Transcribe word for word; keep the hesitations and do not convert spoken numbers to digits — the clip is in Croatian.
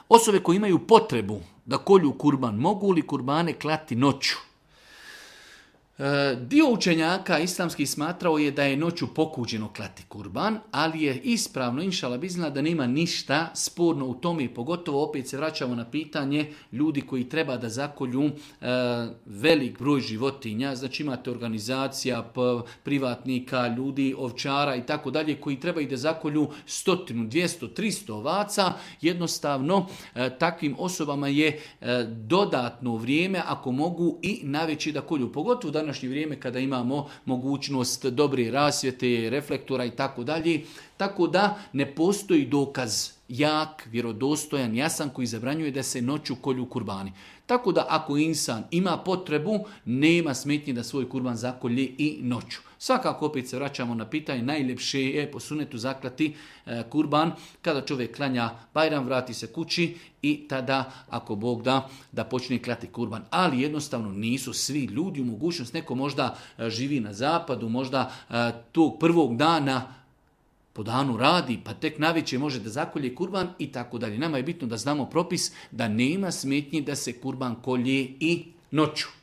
Osobe koje imaju potrebu da kolju kurban, mogu li kurbane klati noću? Dio učenjaka islamskih smatrao je da je noću pokuđeno klati kurban, ali je ispravno, inšala bizna, da nema ništa sporno u tome, pogotovo opet se vraćamo na pitanje ljudi koji treba da zakolju e, velik broj životinja, znači imate organizacija, p, privatnika, ljudi, ovčara i tako dalje, koji trebaju da zakolju stotinu, dvjesto, tristo ovaca, jednostavno e, takvim osobama je e, dodatno vrijeme ako mogu i naveći da kolju, pogotovo da današnje vrijeme kada imamo mogućnost dobre rasvjete, reflektora i tako dalje. Tako da ne postoji dokaz jak, vjerodostojan, jasan koji zabranjuje da se noću kolju kurbani. Tako da ako insan ima potrebu, nema smetnje da svoj kurban zakolje i noću. Svakako opet se vraćamo na pitanje, najljepše je po sunetu zaklati e, kurban kada čovjek klanja Bajram, vrati se kući i tada, ako Bog da, da počne klati kurban. Ali jednostavno nisu svi ljudi u mogućnost, neko možda e, živi na zapadu, možda e, tog prvog dana po danu radi, pa tek navečer može da zakolje kurban i tako dalje. Nama je bitno da znamo propis da nema smetnje da se kurban kolje i noću.